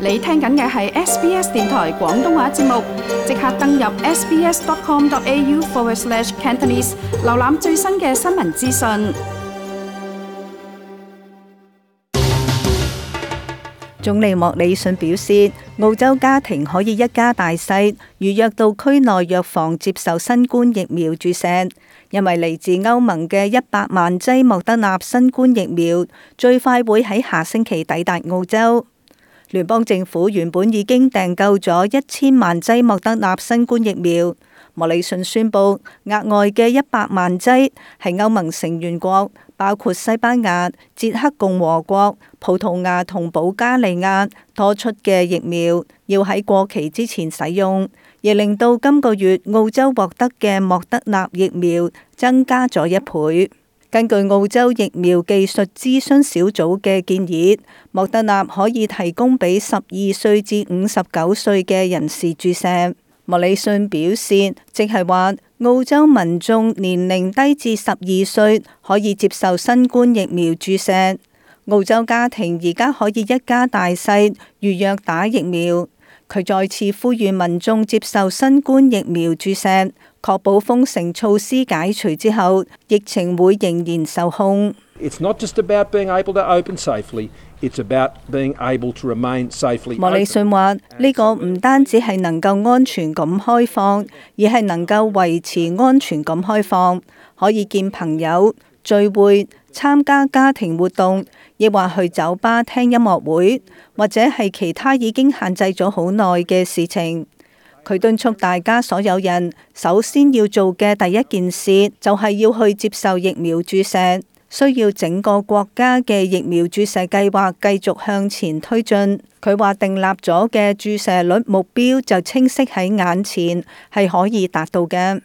你聽緊嘅係 SBS 電台廣東話節目，即刻登入 sbs.com.au/Cantonese 瀏覽最新嘅新聞資訊。總理莫里遜表示，澳洲家庭可以一家大細預約到區內藥房接受新冠疫苗注射，因為嚟自歐盟嘅100萬劑莫德納新冠疫苗最快會喺下星期抵達澳洲。聯邦政府原本已經訂購咗1000萬劑莫德納新冠疫苗。莫里遜宣布，額外嘅100萬劑係歐盟成員國，包括西班牙、捷克共和國、葡萄牙同保加利亞多出嘅疫苗，要喺過期之前使用，亦令到今個月澳洲獲得嘅莫德納疫苗增加咗1倍。根據澳洲疫苗技術諮詢小組嘅建議，莫德納可以提供俾12歲至59歲嘅人士注射。莫里遜表示，即係話澳洲民眾年齡低至12歲可以接受新冠疫苗注射。澳洲家庭而家可以一家大細預約打疫苗。佢再次呼籲民眾接受新冠疫苗注射，確保封城措施解除之後，疫情會仍然受控。It's not just about being able to open safely, it's about being able to remain safely open. 莫里遜話：呢個唔單止係能夠安全咁開放，而係能夠維持安全咁開放，可以見朋友、聚會、參加家庭活動，亦或去酒吧聽音樂會，或者係其他已經限制咗好耐嘅事情。佢敦促大家所有人，首先要做嘅第一件事就係要去接受疫苗注射。需要整個國家嘅疫苗注射計劃繼續向前推進。佢話訂立咗嘅注射率目標就清晰喺眼前，係可以達到嘅。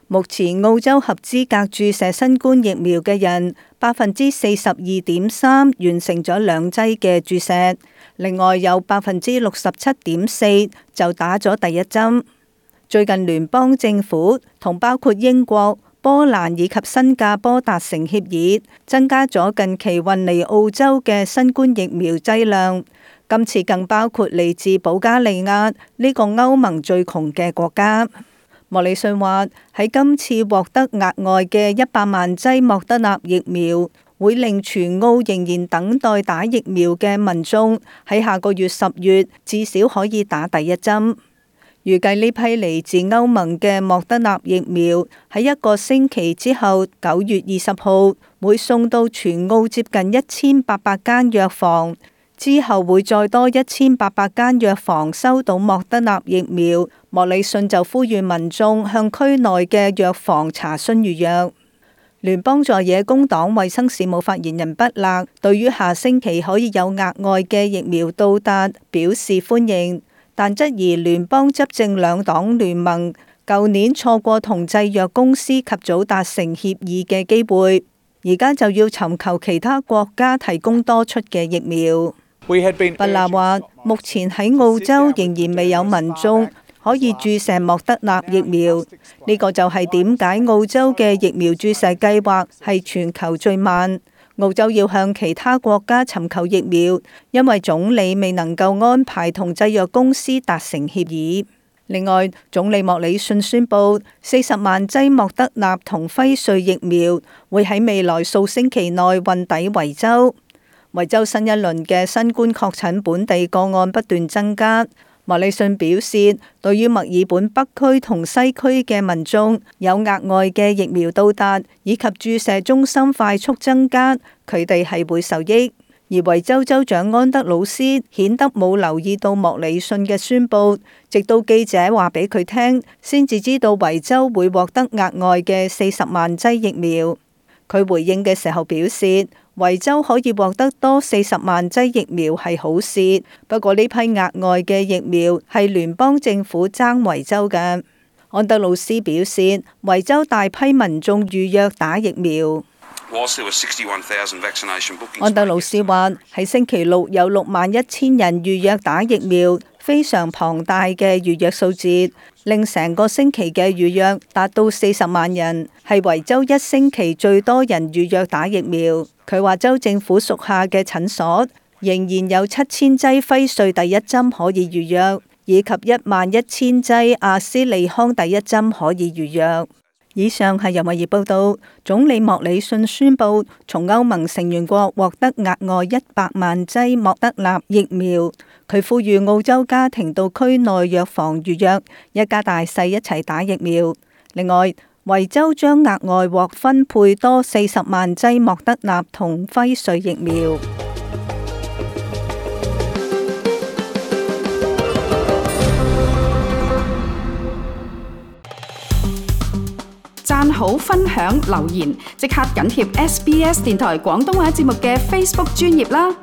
目前澳洲合資格注射新冠疫苗嘅人42.3%完成咗2劑嘅注射，另外有67.4%就打咗第1針。最近聯邦政府同包括英國、波蘭以及新加坡達成協議，增加咗近期運嚟澳洲嘅新冠疫苗劑量。今次更包括嚟自保加利亞呢個歐盟最窮嘅國家。莫里遜話：喺今次獲得額外嘅100萬劑莫德納疫苗，會令全澳仍然等待打疫苗嘅民眾喺下個月10月至少可以打第1針。預計呢批嚟自歐盟嘅莫德納疫苗喺1個星期之後，9月20號會送到全澳接近1800間藥房，之後會再多1800間藥房收到莫德納疫苗。莫里遜就呼籲民眾向區內嘅藥房查詢預約。聯邦在野工黨衛生事務發言人畢勒對於下星期可以有額外嘅疫苗到達表示歡迎，但質疑聯邦執政兩黨聯盟舊年錯過同製藥公司及早達成協議嘅機會，而家就要尋求其他國家提供多出嘅疫苗。畢勒話：目前喺澳洲仍然未有民眾可以注射莫德納疫苗，呢個就係點解澳洲嘅疫苗注射計劃係全球最慢。澳洲要向其他國家尋求疫苗，因為總理未能夠安排同製藥公司達成協議。另外，總理莫里遜宣布40萬劑莫德納同輝瑞疫苗會喺未來數星期內運抵維州。維州新一輪嘅新冠確診本地個案不斷增加。莫里遜表示，對於墨爾本北區同西區嘅民眾有額外嘅疫苗到達，以及注射中心快速增加，佢哋係會受益。而維州州長安德魯斯顯得冇留意到莫里遜嘅宣佈，直到記者話俾佢聽，先至知道維州會獲得額外嘅40萬劑疫苗。佢回應嘅時候表示，維州可以獲得多40萬劑疫苗係好事，不過呢批額外嘅疫苗係聯邦政府爭維州嘅。安德魯斯表示，維州大批民眾預約打疫苗。安德魯斯話：喺星期六有61000人預約打疫苗，非常龐大嘅預約數字，令成個星期嘅預約達到40萬人，係維州一星期最多人預約打疫苗。佢話州政府屬下嘅診所仍然有7000劑輝瑞第一針可以預約，以及11000劑阿斯利康第一針可以預約。以上係由《衛報》報道，總理莫里遜宣布從歐盟成員國獲得額外100萬劑莫德納疫苗。佢呼籲澳洲家庭到區內藥房預約，一家大細一齊打疫苗。另外，維州將額外獲分配多40萬劑莫德納同輝瑞疫苗。讚好、分享、留言，即刻緊貼SBS 電台廣東話節目嘅 Facebook 專頁啦！